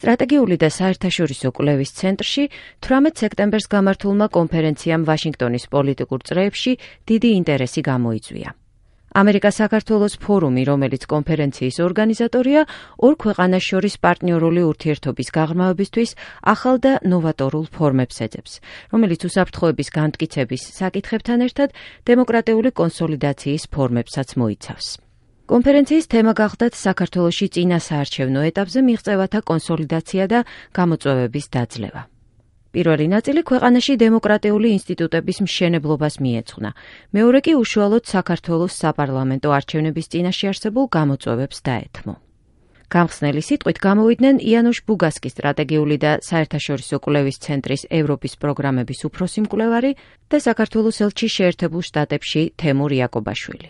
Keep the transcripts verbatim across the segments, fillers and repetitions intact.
სტრატეგიული და საერთაშორისო კვლევის ცენტრში თვრამეტ სექტემბერს გამართულმა კონფერენციამ ვაშინგტონის პოლიტიკურ წრეებში დიდი ინტერესი გამოიწვია. ამერიკა-საქართველოს ფორუმი, რომელიც კონფერენციის ორგანიზატორია, ორ ქვეყანას შორის პარტნიორული ურთიერთობის გაღრმავებისთვის ახალ და ნოვატორულ ფორმებს ეძებს, რომელიც უსაფრთხოების განმტკიცების საკითხებთან ერთად დემოკრატიული კონსოლიდაციის ფორმებსაც მოიცავს. კონფერენციის თემა გახლდათ საქართველოში წინა საარჩევნო ეტაპზე მიღწევათა კონსოლიდაცია და გამოწვევების დაძლევა. პირველი ნაწილი ქვეყანაში დემოკრატიული ინსტიტუტების მშენებლობას მიეძღვნა, მეორე კი უშუალოდ საქართველოს საპარლამენტო არჩევნების წინაშე არსებულ გამოწვევებს დაეთმო. გამხსნელი სიტყვით გამოვიდნენ იანუშ ბუგასკის სტრატეგიული და საერთაშორისო კვლევის ცენტრის ევროპის პროგრამების უფროსი მკვლევარი და საქართველოს ელჩი შეერთებულ შტატებში თემურ იაკობაშვილი.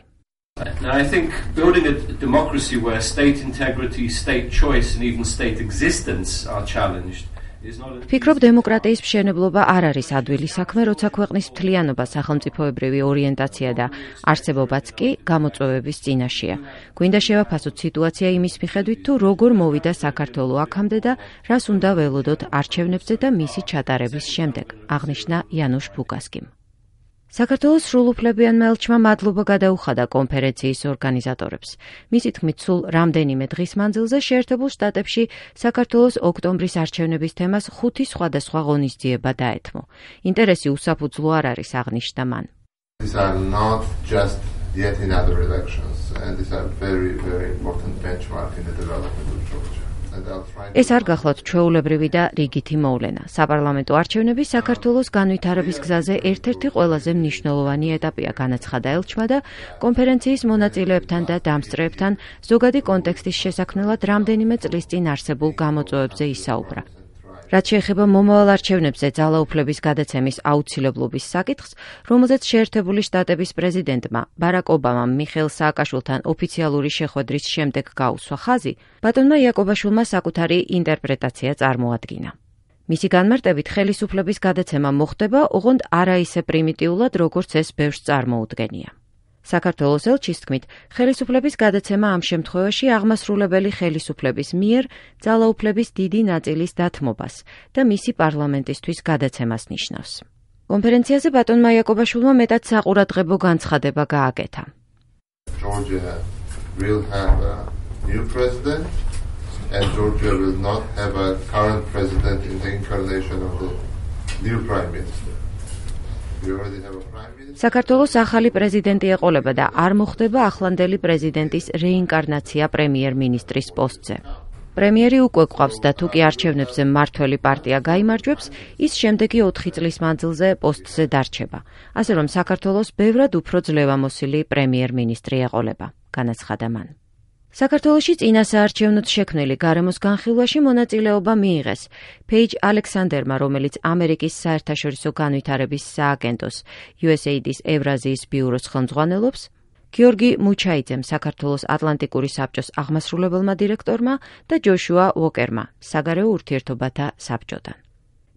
Now, I think building a democracy where state integrity, state choice and even state existence are challenged is not a... ფიქრობ, დემოკრატიის მშენებლობა არ არის ადვილი საქმე, როცა ქვეყნის მთლიანობა, სახელმწიფოებრივი ორიენტაცია და არსებობაც კი გამოწვევების წინაშეა. გვინდა შევაფასოთ სიტუაცია იმის მიხედვით, თუ როგორ მოვიდა საქართველო აქამდე და რას უნდა ველოდოთ არჩევნებზე და მისი ჩატარების შემდეგ, აღნიშნა იანუშ ბუგასკიმ. საქართველოს სრულუფლებიანმა ელჩმა მადლობა გადაუხადა კონფერენციის ორგანიზატორებს. მისი თქმით, სულ რამდენიმე დღის მანძილზე შეერთებულ შტატებში საქართველოს ოქტომბრის არჩევნების თემას ხუთი სხვადასხვა ღონისძიება დაეთმო. ინტერესი უსაფუძვლო არ არის, აღნიშნა მან. These are not just yet another elections, and these are very, very important benchmark in the development of Georgia. ეს არ გახლავთ ჩვეულებრივი და რიგითი მოვლენა. საპარლამენტო არჩევნები საქართველოს განვითარების გზაზე ერთ-ერთი ყველაზე მნიშვნელოვანი ეტაპია, განაცხადა ელჩმა და კონფერენციის მონაწილეებთან და დამსწრეებთან ზოგადი კონტექსტის შესაქმნელად რამდენიმე წლის წინ არსებულ გამოწვევებზე ისაუბრა. რაც შეეხება მომავალ არჩევნებზე ძალაუფლების გადაცემის აუცილებლობის საკითხს, რომელზეც შეერთებული შტატების პრეზიდენტმა ბარაკ ობამამ მიხეილ სააკაშვილთან ოფიციალური შეხვედრის შემდეგ გაუსვა ხაზი, ბატონმა იაკობაშვილმა საკუთარი ინტერპრეტაცია წარმოადგინა. მისი განმარტებით, ხელისუფლების გადაცემა მოხდება, ოღონდ არა ისე პრიმიტიულად, როგორც ეს ბევრს წარმოუდგენია. საქართველოს ელჩის თქმით, ხელისუფლების გადაცემა ამ შემთხვევაში აღმასრულებელი ხელისუფლების მიერ ძალაუფლების დიდი ნაწილის დათმობას და მისი პარლამენტისთვის გადაცემას ნიშნავს. კონფერენციაზე ბატონმა იაკობაშვილმა მეტად საყურადღებო განცხადება გააკეთა. Georgia will have a new president and Georgia will not have a current president in the incarnation of the new prime minister. We already have a prime minister. საქართველოს ახალი პრეზიდენტი ეყოლება და არ მოხდება ახლანდელი პრეზიდენტის რეინკარნაცია პრემიერ-მინისტრის პოსტზე. პრემიერი უკვე გვყავს და თუ კი არჩევნებზე მმართველი პარტია გაიმარჯვებს, ის შემდეგი ოთხი წლის მანძილზე პოსტზე დარჩება. ასე რომ საქართველოს ბევრად უფრო ძლევამოსილი პრემიერ-მინისტრი ეყოლება, განაცხადა მან. საქართველოში წინა საარჩევნოდ შექმნილი გარემოს განხილვაში მონაწილეობა მიიღეს პეიჯ ალექსანდერმა, რომელიც ამერიკის საერთაშორისო განვითარების სააგენტოს იუ ეს ეი დის ევრაზიის ბიუროს ხელმძღვანელობს, გიორგი მუჩაიძემ, საქართველოს ატლანტიკური საბჭოს აღმასრულებელმა დირექტორმა და ჯოშუა უოკერმა, საგარეო ურთიერთობათა საბჭოდან.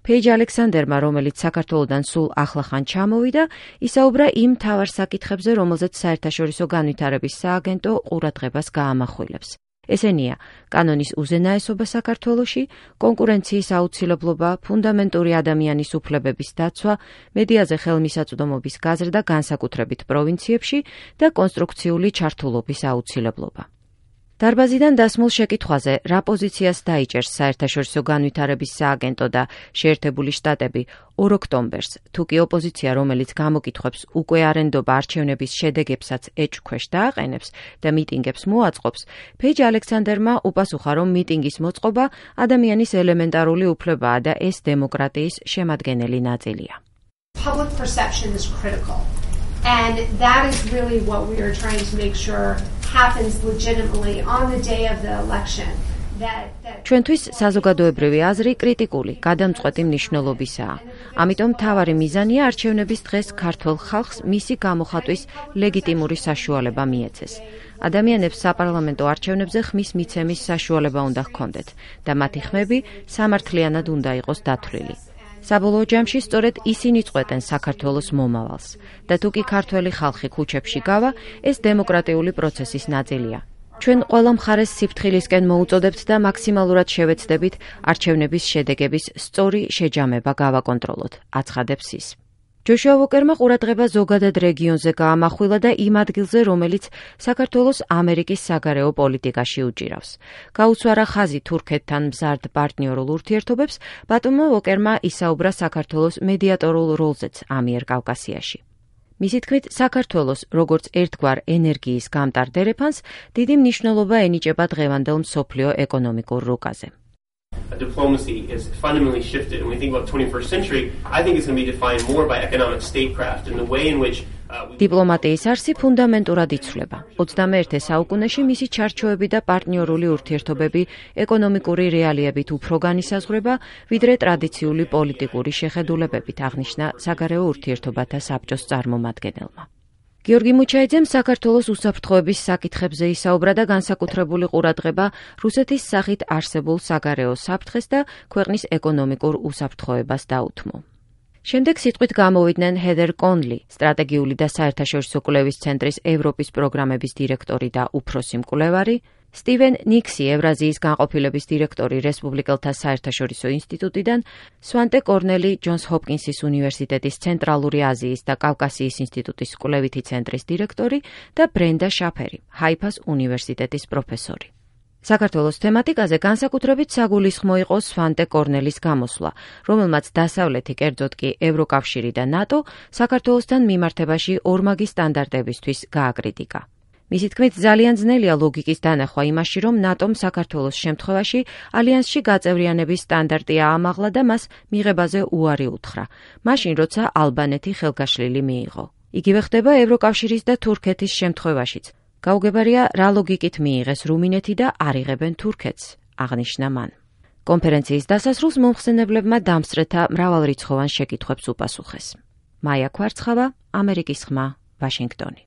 პეიჯ ალექსანდერმა, რომელიც საქართველოდან სულ ახლახან ჩამოვიდა, ისაუბრა იმ მთავარ საკითხებზე, რომელზეც საერთაშორისო განვითარების სააგენტო ყურადღებას გაამახვილებს. ესენია კანონის უზენაესობა საქართველოში, კონკურენციის აუცილებლობა, ფუნდამენტური ადამიანის უფლებების დაცვა, მედიაზე ხელმისაწვდომობის გაზრდა განსაკუთრებით პროვინციებში და კონსტრუქციული ჩართულობის აუცილებლობა. დარბაზიდან დასმულ შეკითხვაზე, რა პოზიციას დაიჭერს საერთაშორისო განვითარების სააგენტო და შეერთებული შტატები ორ ოქტომბერს, თუ კი ოპოზიცია, რომელიც გამოკითხვებს უკვე არენდობა არჩევნების შედეგებსაც ეჭვქვეშ დააყენებს და მიტინგებს მოაწყობს, პეიჯ ალექსანდერმა უპასუხა, რომ მიტინგის მოწყობა ადამიანის ელემენტარული უფლებაა და ეს დემოკრატიის შემადგენელი ნაწილია. Public perception is critical. And that is really what we are trying to make sure happens legitimately on the day of the election. ჩვენთვის საზოგადოებრივი აზრი კრიტიკული, გადამწყვეტი მნიშვნელობისაა. ამიტომ მთავარი მიზანია არჩევნების დღეს ქართველ ხალხს მისი გამოხატვის ლეგიტიმური საშუალება მიეცეს. ადამიანებს საპარლამენტო არჩევნებზე ხმის მიცემის საშუალება უნდა ჰქონდეთ და მათი ხმები სამართლიანად უნდა იყოს დათვლილი. საბოლოო ჯამში სწორედ ისინი წყვეტენ საქართველოს მომავალს და თუ კი ქართველი ხალხი ქუჩებში გავა, ეს დემოკრატიული პროცესის ნაწილია. ჩვენ ყველა მხარეს სიფრთხილისკენ მოუწოდებთ და მაქსიმალურად შევეცდებით არჩევნების შედეგების სწორი შეჯამება გავაკონტროლოთ, აცხადებს ის. ჯოშუა ვოკერმა ყურადღება ზოგადად რეგიონზე გაამახვილა და იმ ადგილზე, რომელიც საქართველოს ამერიკის საგარეო პოლიტიკაში უჭირავს. გაუცვარა ხაზი თურქეთთან მზარდ პარტნიორულ ურთიერთობებს, ბატონმა ვოკერმა ისაუბრა საქართველოს მედიატორულ როლზეც ამიერკავკასიაში. მისი თქმით, საქართველოს, როგორც ერთგვარ ენერგიის გამტარ დერეფანს, დიდი მნიშვნელობა ენიჭება დღევანდელ მსოფლიო ეკონომიკურ რუკაზე. Diplomacy has fundamentally shifted. When we think about twenty-first century, I think it's going to be defined more by economic statecraft and the way in which დიპლომატიის არსი ფუნდამენტურად იცვლება. ოცდამეერთე საუკუნეში მისი ჩარჩოები და პარტნიორული ურთიერთობები ეკონომიკური რეალიებით უფრო განისაზღვრება, ვიდრე ტრადიციული პოლიტიკური შეხედულებებით, აღნიშნა საგარეო ურთიერთობათა საბჭოს წარმომადგენელმა. გიორგი მუჩაიძემ საქართველოს უსაფრთხოების საკითხებზე ისაუბრა და განსაკუთრებული ყურადღება რუსეთის სახით არსებულ საგარეო საფრთხეს და ქვეყნის ეკონომიკურ უსაფრთხოებას დაუთმო. შემდეგ სიტყვით გამოვიდნენ ჰედერ კონლი, სტრატეგიული და საერთაშორისო კვლევის ცენტრის ევროპის პროგრამების დირექტორი და უფროსი მკვლევარი, სტივენ ნიქსი, ევრაზიის განყოფილების დირექტორი რესპუბლიკელთა საერთაშორისო ინსტიტუტიდან, სვანტე კორნელი, ჯონს ჰოპკინსის უნივერსიტეტის ცენტრალური აზიის და კავკასიის ინსტიტუტის კვლევითი ცენტრის დირექტორი და ბრენდა შაფერი, ჰაიფას უნივერსიტეტის პროფესორი. საქართველოს თემატიკაზე განსაკუთრებით საგულისხმო იყო სვანტე კორნელის გამოსვლა, რომელმაც დასავლეთი, კერძოდ კი ევროკავშირი და ნატო საქართველოსთან მიმართებაში ორმაგი სტანდარტებისთვის გააკრიტიკა. მისი თქმით, ძალიან ძნელია ლოგიკის დანახვა იმაში, რომ ნატომ საქართველოს შემთხვევაში ალიანსში გაწევრიანების სტანდარტი აამაღლა და მას მიღებაზე უარი უთხრა, მაშინ როცა ალბანეთი ხელგაშლილი მიიღო. იგივე ხდება ევროკავშირის და თურქეთის შემთხვევაშიც. გაუგებარია, რა ლოგიკით მიიღეს რუმინეთი და არ იღებენ თურქეთს, აღნიშნა მან. კონფერენციის დასასრულს მომხსენებლებმა დამსწრეთა მრავალრიცხოვან შეკითხვებს უპასუხეს. მაია ქვარცხავა, ამერიკის ხმა, ვაშინგტონი.